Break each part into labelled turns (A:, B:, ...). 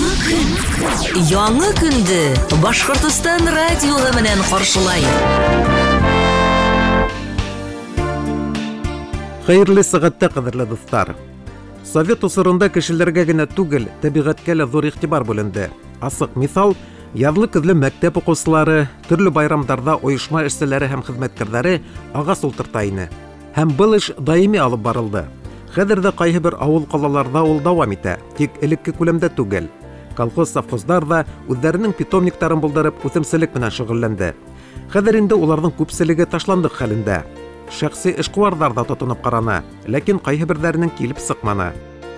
A: Яңы көн. Яңы көндө Башҡортостан радиоһы менән ҡаршылай.
B: Хәйерле сәғәттә, ҡәҙерле дуҫтар. Совет осоронда кешеләргә генә түгел, тәбиғәткә лә ҙур иғтибар бүленде. Асыҡ миҫал: яҙлы-көҙлө мәктәп уҡыусылары, төрлө байрамдарҙа ойошма эшселәре һәм хеҙмәткәрҙәре ағас ултырта ине. Һәм был эш даими алып барылды. Хәҙер ҙә ҡайһы бер ауыл-ҡалаларҙа ул дауам итә, тик элекке күләмдә түгел. Колхоз, совхоздар ҙа үҙҙәренең питомниктарын булдырып, үҫемселек менән шөғөлләнде. Хәҙер инде уларҙың күпселеге ташландыҡ хәлендә. Шәхси эшҡыуарҙар ҙа тотоноп ҡараны, ләкин ҡайһы берҙәренең килеп сыҡманы.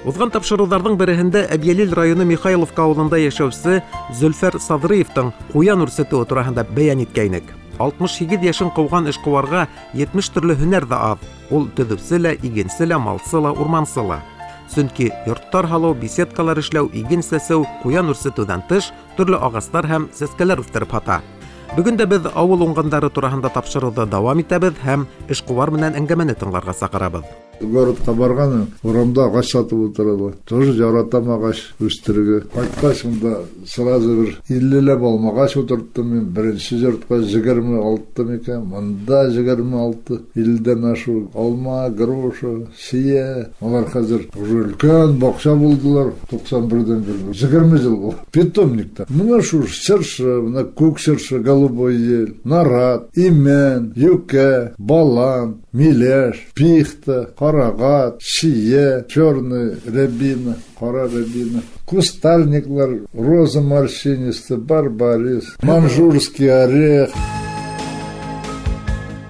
B: Уҙған тапшырыуҙарҙың береһендә Әбйәлил районы Михайловка ауылында йәшәүсе Зөлфәр Саҙрыевтың ҡуян үрсетеүе тураһында бәйән иткәйнек. 68 йәшен ҡыуған эшҡыуарға 70 төрлө һөнәр ҙә аҙ. Ул төҙөүсе лә, игенсе лә, малсы ла, урмансы ла. Сөнки йорттар һалыу, беседкалар эшләү, иген сәсеү, ҡуян үрсетеүҙән тыш, төрлө ағастар һәм сәскәләр үҫтереп һата. Бөгөн дә беҙ ауыл уңғандары тураһында тапшырыуҙы дауам итәбеҙ һәм эшҡыуар менән әңгәмәне тыңларға саҡырабыҙ.
C: Городҡа барған, урамда ағас һатып ултыралар. Тоже яратам ағас үҫтерергә. Ҡайтҡас унда сразу бер 50-ләп алмағас ултырттым мин. Беренсе йортҡа 26 микән, мында 26, 50-дән ашыу алма, груша, сейә. Улар хәҙер уже өлкән баҡса булдылар. 91-дән бирле. 20 йыл булды. Питомникта. Мына шу чыршы, мына күк чыршы, голубой ель, нарат, имән, юкә, балан, миләш, пихта, ҡарағат, шие, черный рябина, ҡара рябина, кустарниклар, роза морщинистая, барбарис, манжурский орех.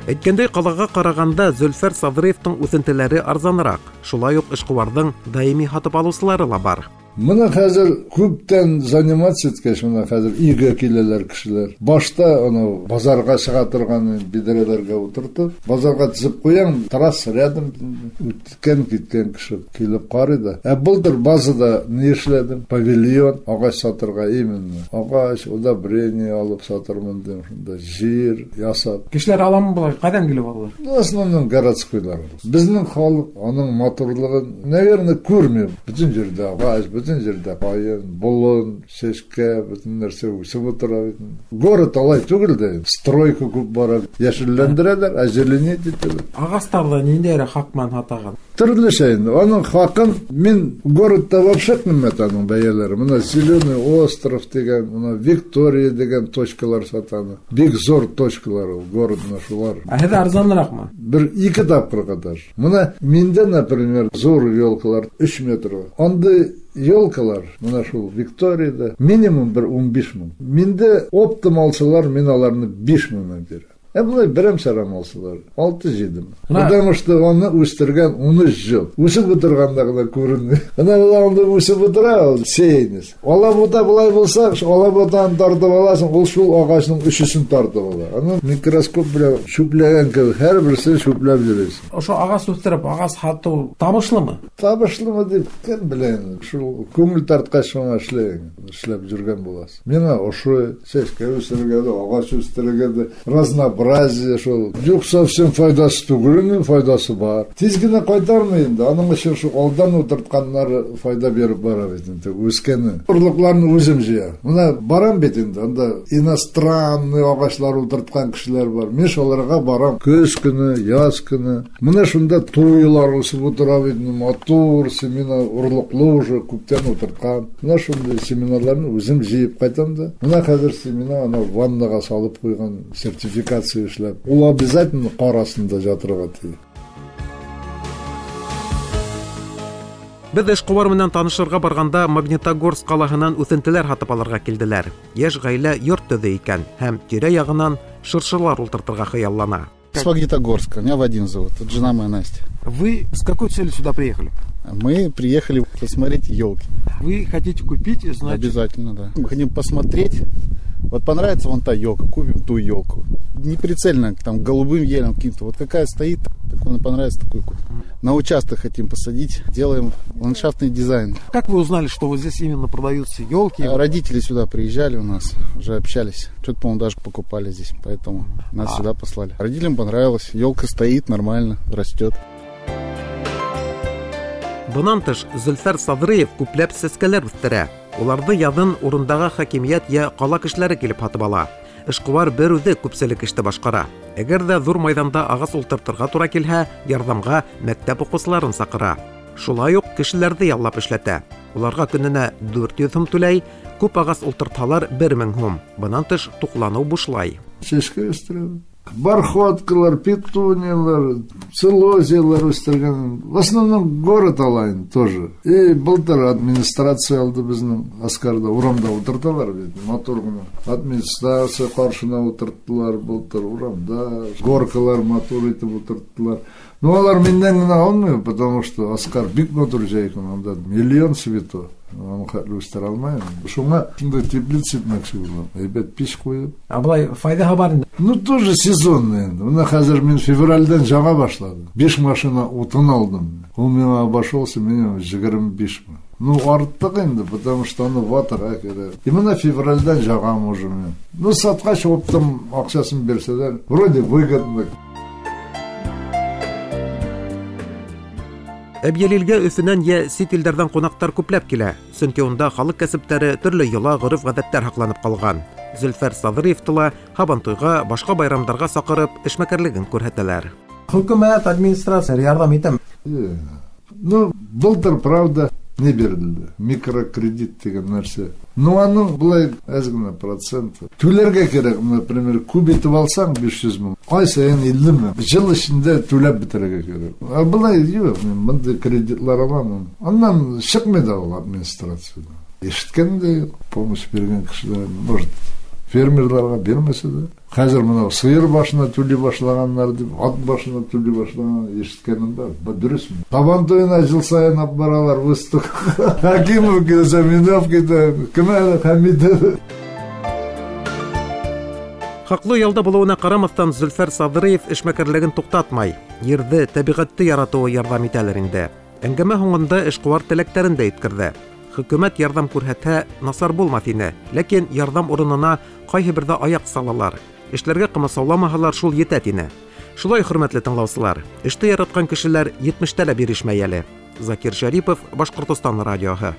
B: Әйткәндәй, ҡалаға ҡарағанда Зөлфәр Саҙрыевтың үҫентеләре арзаныраҡ. Шулай уҡ эшҡыуарҙың даими һатып алыусылары ла бар.
C: Мына хәҙер күптән заниматься иткәс, мына хәҙер өйгә киләләр кешеләр. Башта анау базарға сыға торған биҙрәләргә ултыртып, базарға теҙеп ҡуям, трасса рядом, үткән киткән кеше килеп ҡарай ҙа. Ә былтыр базада ни эшләдем? Павильон ағас сатырға именно. Ағас, удобрение алып сатырмын тим, шунда жир ясап.
B: Кешеләр аламы былай? Ҡайҙан килеп алалар?
C: В основном городскойлар. Беҙҙең халыҡ уның матурлығын, наверное, күрмәй. Бөтөн ерҙә ағас, бөтөн ерҙә ҡайын, болон, сәскә, бөтөн нәрсә үҫеп ултыра бит. Город алай түгел дә, стройка күп бара, йәшелләндерәләр, озеленить итәләр.
B: Ағастарҙы ниндәйерәк хаҡ менән һатағыҙ?
C: Төрлөсә инде. Уның хаҡын мин городта вообще ҡиммәт уның бәйәләре. Мына Зеленый остров тигән, мына Виктория тигән точкалар сатаны. Бик зур точкалар ул, город менә шулар.
B: Ә һеҙ арзаныраҡмы?
C: Бер ике тапҡырға даже. Мына миндә, например, зур елкалар 3 метр. Андай елкалар, мына шул Викторияда минимум бер 15 мең. Миндә оптом алсалар, мин аларны 5 меңнән бирәм. Ә былай берәм-сәрәм алсалар, 6-7 мең. Потому что уны үҫтергән 13 йыл. Үҫеп ултырғанда ғына күренмәй. Ана былай унда үҫеп ултыра, ул сеянец. Алабута былай булһа, алабутаны тартып аласың, ул шул ағастың өсөсөн тартып ала. Аны микроскоп белән сүпләгән кебек, һәр берсен сүпләп йөрөйсөң.
B: Ошо ағас үҫтереп, ағас һатыу табышлымы?
C: Табышлымы тип кем белә инде. Шул күңел тартҡас шуңа эшләйһең, эшләп йөрөгән буласың. Миңа ошо сәскә үҫтерергә дә, ағас үҫтерергә дә, разнообразие шул. Юҡ, совсем файҙасы түгел, инде файҙасы бар. Тиҙ генә ҡайтармай инде. Аның өсөн шул алдан ултыртҡаннары файҙа биреп бара бит инде, үҫкәне. Орлоҡларны үҙем йыя. Мына барам бит инде, анда иностранный ағастар ултыртҡан кешеләр бар. Мин шуларға барам. Көҙ көнө, яҙ көнө. Мына шунда туйлар үҫеп ултыра бит инде, матур семена орлоҡло уже күптән ултыртҡан. Мына шундай семеналарны үҙем йыйып ҡайтам да. Мына хәҙер семена ана ваннаға салып ҡуйған, сертификация эшләп. Ул обязательно ҡар аҫтында ятырға тейеш.
B: Беҙ эшҡыуар менән танышырға барғанда Магнитогорск ҡалаһынан үҫентеләр һатып алырға килделәр. Йәш ғаилә йорт төҙөй икән һәм тирә-яғынан шыршылар ултыртырға хыяллана.
D: С Магнитогорска. Меня Вадим зовут. Это жена моя Настя.
B: Вы с какой целью сюда приехали?
D: Мы приехали посмотреть елки.
B: Вы хотите купить, значит?
D: Обязательно, да. Мы хотим посмотреть. Вот понравится вон та елка, купим ту елку. Не прицельно, голубым елям каким-то. Вот какая стоит, так он понравится, такую купим. На участок хотим посадить, делаем ландшафтный дизайн.
B: Как вы узнали, что вот здесь именно продаются елки?
D: Родители сюда приезжали у нас, уже общались. Что-то, по-моему, даже покупали здесь, поэтому нас сюда послали. Родителям понравилось, елка стоит нормально, растет.
B: Бынан тыш, Зөлфәр Саҙрыев күпләп сәскәләр үҫтерә. Уларҙы яҙын урындағы хакимиәт йә ҡала кешеләре килеп һатып ала. Эшҡыуар бер үҙе күпселек эште башҡара. Әгәр ҙә ҙур майҙанда ағас ултыртырға тура килһә, ярҙамға мәктәп уҡыусыларын саҡыра. Шулай уҡ кешеләрҙе яллап эшләтә. Уларға көнөнә 400 һум түләй, күп ағас ултыртһалар 1000 һум. Бынан тыш туҡланыу бушлай.
C: Сәскә үҫтерәбеҙ. Бархоткалар, петуниялар, целозиялар үҫтергән. В основном город алайын тоже. И былтыр администрация алды беҙҙең Аскарҙа, урамда ултырталар бит, матур ғына. Администрация ҡаршына ултырттылар былтыр урамда, горкалар матур итеп ултырттылар. Но улар минән генә алмай, потому что Аскар бик матур җәйгән, анда миллион цветов. Аны хәтле үҫтерә алмайым. Шуңа шундай теплица итмәксе булам. Әйбәт пич ҡуйып.
B: Ә былай файҙаһы бар инде.
C: Ну, тоже сезонный инде. Бына хәҙер мин февралдән яңа башладым. 5 машина утын алдым. Ул миңа обошелся минимум 25 мең. Ну, арттыҡ инде, потому что аны ватырға кәрәк. И бына февралдән яғам уже мин. Ну, сатҡас оптом аҡсасын бирсәләр, вроде выгодно.
B: Әбйәлилгә Өфөнән йә сит илдәрҙән ҡунаҡтар күпләп килә, сөнки унда халыҡ кәсептәре, төрлө йола, ғөрөф-ғәҙәттәр һаҡланып ҡалған. Зөлфәр Саҙриевты ла һабантуйға, башҡа байрамдарға саҡырып, эшмәкәрлеген күрһәтәләр.
E: Хөкүмәт, администрация ярҙам итәме?
C: Ну, былтыр, правда, не бирелде. Микрокредит тигән нәрсә. Ну, аның былай әҙ генә проценты. Түләргә кәрәк, например, күп итеп алсаң 500 мең, ай сайын 50 мең. Йыл эсендә түләп бөтөрөргә кәрәк. Ә былай юҡ, мин бындай кредитлар аламын. Аннан сыҡмай ҙа ул администрациядан. Ишеткән дә юҡ, помощь биргән кешеләр, может, фермерларға бирмәсә дә. Хәҙер мынау сыйыр башына түләй башлағандар тип, ат башына түләй башлаған ишеткәнем бар. Был дөрөҫмө? Һабан туйына йыл сайын алып баралар выставка. Хакимов килсә, мин алып китәм. Кем әле Хәмитов?
B: Хаҡлы ялда булыуына ҡарамаҫтан, Зөлфәр Саҙриев эшмәкәрлеген туҡтатмай. Ерҙе, тәбиғәтте яратыуы ярҙам итәлер инде. Әңгәмә һуңында эшҡыуар теләктәрен дә еткерҙе. Хөкүмәт ярҙам күрһәтһә, насар булмаҫ ине. Ләкин ярҙам урынына ҡайһы берҙә аяҡ салалар. Эшләргә ҡамасауламаһалар, шул етә тине. Шулай, хөрмәтле тыңлаусылар, эште яратҡан кешеләр 70-тә лә бирешмәй әле. Закир Шәрипов, Башҡортостан радиоһы.